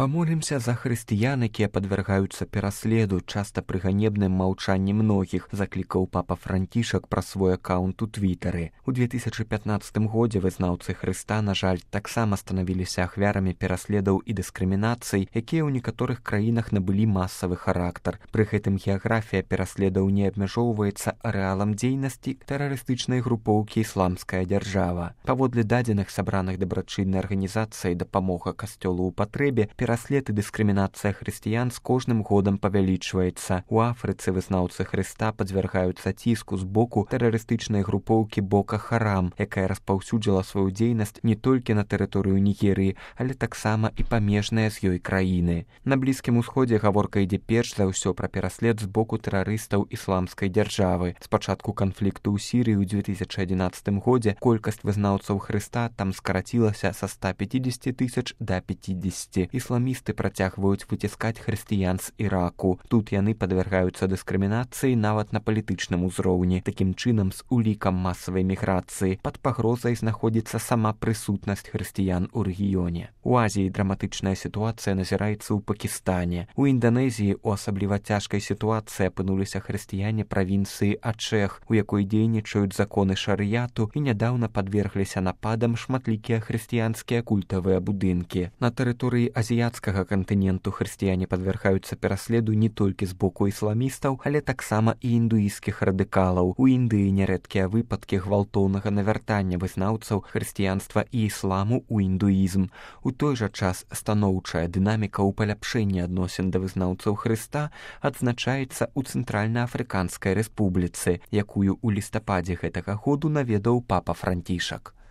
Памолімся за хрысціян, якія падвяргаюцца пераследу, часта пры ганебным маўчанні многіх, заклікаў папа Францішак праз свой аккаунт у Твітары. У 2015 годзе вызнаўцы Хрыста, на жаль, таксама станавіліся ахвярамі пераследаў і дыскрымінацый, якія ў некаторых краінах набылі масавы характар. Пры гэтым геаграфія пераследаў не абмяжоўваецца арэалам дзейнасці тэрарыстычнай групоўкі «Ісламская дзяржава». Паводле дадзеных сабраных дабрачыннай арганізацыяй «Дапамога касцёлу ў патрэбе», пераслед і дыскрымінацыя хрысціян з кожным годам павялічваецца. У Афрыцы вызнаўцы Хрыста падвяргаюцца ціску з боку тэрарыстычнай групоўкі Бока Харам, якая распаўсюдзіла сваю дзейнасць не толькі на тэрыторыю Нігерыі, але таксама і памежныя з ёй краіны. На Блізкім усходзе гаворка ідзе перш за ўсё пра пераслед з боку тэрарыстаў Ісламскай дзяржавы. З пачатку канфлікту ў Сірыі ў 2011 годзе колькасць вызнаўцаў Хрыста там скарацілася са 150 тысяч да 50. Ісламісты працягваюць выціскаць хрысціян з Іраку. Тут яны падвяргаюцца дыскрымінацыі нават на палітычным узроўні. Такім чынам, з улікам масавай міграцыі пад пагрозай знаходзіцца сама прысутнасць хрысціян у рэгіёне. У Азіі драматычная сітуацыя назіраецца ў Пакістане. У Інданезіі у асабліва цяжкай сітуацыі апынуліся хрысціяне правінцыі Ачэх, у якой дзейнічаюць законы шарыяту, і нядаўна падвергліся нападам шматлікія хрысціянскія культавыя будынкі. На тэрыторыі азіяцкага кантыненту хрысціяне падвяргаюцца пераследу не толькі з боку ісламістаў, але таксама і індуісцкіх радыкалаў. У Індыі нярэдкія выпадкі гвалтоўнага навяртання вызнаўцаў хрысціянства і ісламу ў індуізм. У той жа час станоўчая дынаміка ў паляпшэнні адносін да вызнаўцаў Хрыста адзначаецца ў Цэнтральна-Афрыканскай рэспубліцы, якую ў лістападзе гэтага году наведаў папа Францішак.